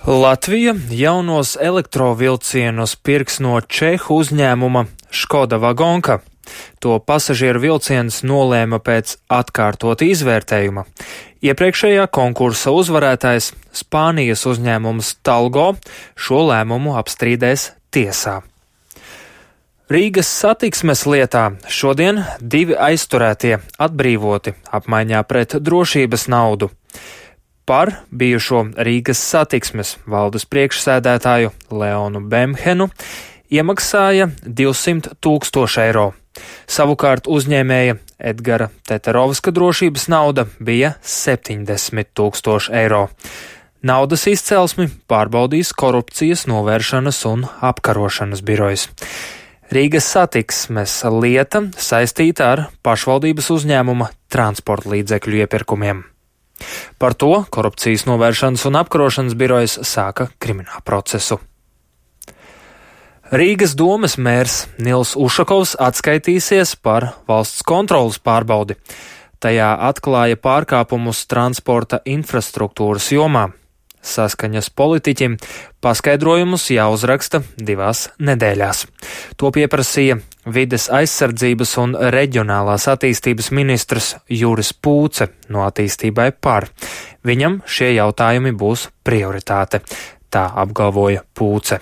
Latvija jaunos elektrovilcienus pirks no čehu uzņēmuma Škoda Vagonka. To pasažieru vilciens nolēma pēc atkārtota izvērtējuma. Iepriekšējā konkursa uzvarētājs Spānijas uzņēmums Talgo šo lēmumu apstrīdēs tiesā. Rīgas satiksmes lietā šodien 2 aizturētie atbrīvoti apmaiņā pret drošības naudu. Par bijušo Rīgas satiksmes valdes priekšsēdētāju Leonu Bemhenu iemaksāja 200 000 eiro. Savukārt uzņēmēja Edgara Teterovska drošības nauda bija 70 000 eiro. Naudas izcelsmi pārbaudīs korupcijas novēršanas un apkarošanas birojs. Rīgas satiksmes lieta saistīta ar pašvaldības uzņēmuma transporta līdzekļu iepirkumiem. Par to korupcijas novēršanas un apkarošanas birojas sāka kriminālu procesu. Rīgas domes mērs Nils Ušakovs atskaitīsies par valsts kontrolas pārbaudi. Tajā atklāja pārkāpumus transporta infrastruktūras jomā. Saskaņas politiķim paskaidrojumus jāuzraksta 2 nedēļās. To pieprasīja vides aizsardzības un reģionālās attīstības ministrs Juris Pūce no Attīstībai par. Viņam šie jautājumi būs prioritāte, tā apgalvoja Pūce.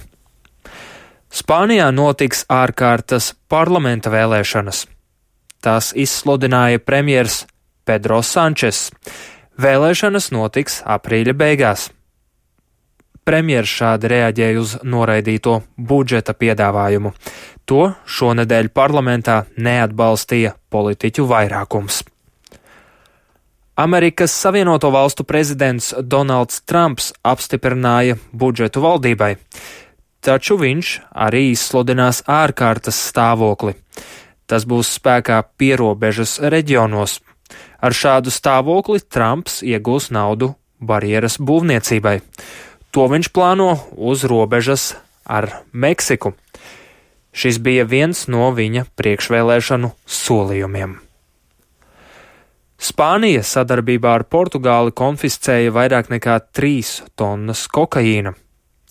Spānijā notiks ārkārtas parlamenta vēlēšanas. Tās izsludināja premjers Pedro Sančes. Vēlēšanas notiks aprīļa beigās. Premjers šādi reaģēja uz noraidīto budžeta piedāvājumu. To šonedēļ parlamentā neatbalstīja politiķu vairākums. Amerikas Savienoto Valstu prezidents Donalds Trumps apstiprināja budžetu valdībai, taču viņš arī izsludinās ārkārtas stāvokli. Tas būs spēkā pierobežas reģionos. Ar šādu stāvokli Trumps iegūs naudu barjeras būvniecībai. To viņš plāno uz robežas ar Meksiku. Šis bija viens no viņa priekšvēlēšanu solījumiem. Spānija sadarbībā ar Portugāli konfiscēja vairāk nekā 3 tonnas kokaīna.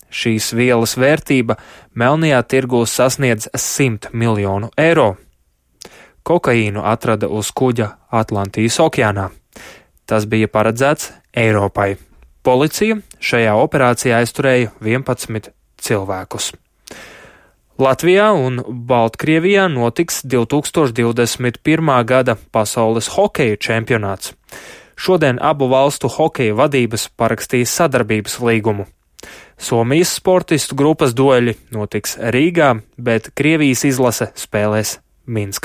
Šīs vielas vērtība melnajā tirgū sasniedz 100 miljonu eiro. Kokaīnu atrada uz kuģa Atlantijas okeānā. Tas bija paredzēts Eiropai. Policija šajā operācijā aizturēja 11 cilvēkus. Latvijā un Baltkrievijā notiks 2021. gada pasaules hokeja čempionāts. Šodien abu valstu hokeja vadības parakstīs sadarbības līgumu. Somijas sportistu grupas dueļi notiks Rīgā, bet Krievijas izlase spēlēs Minskā.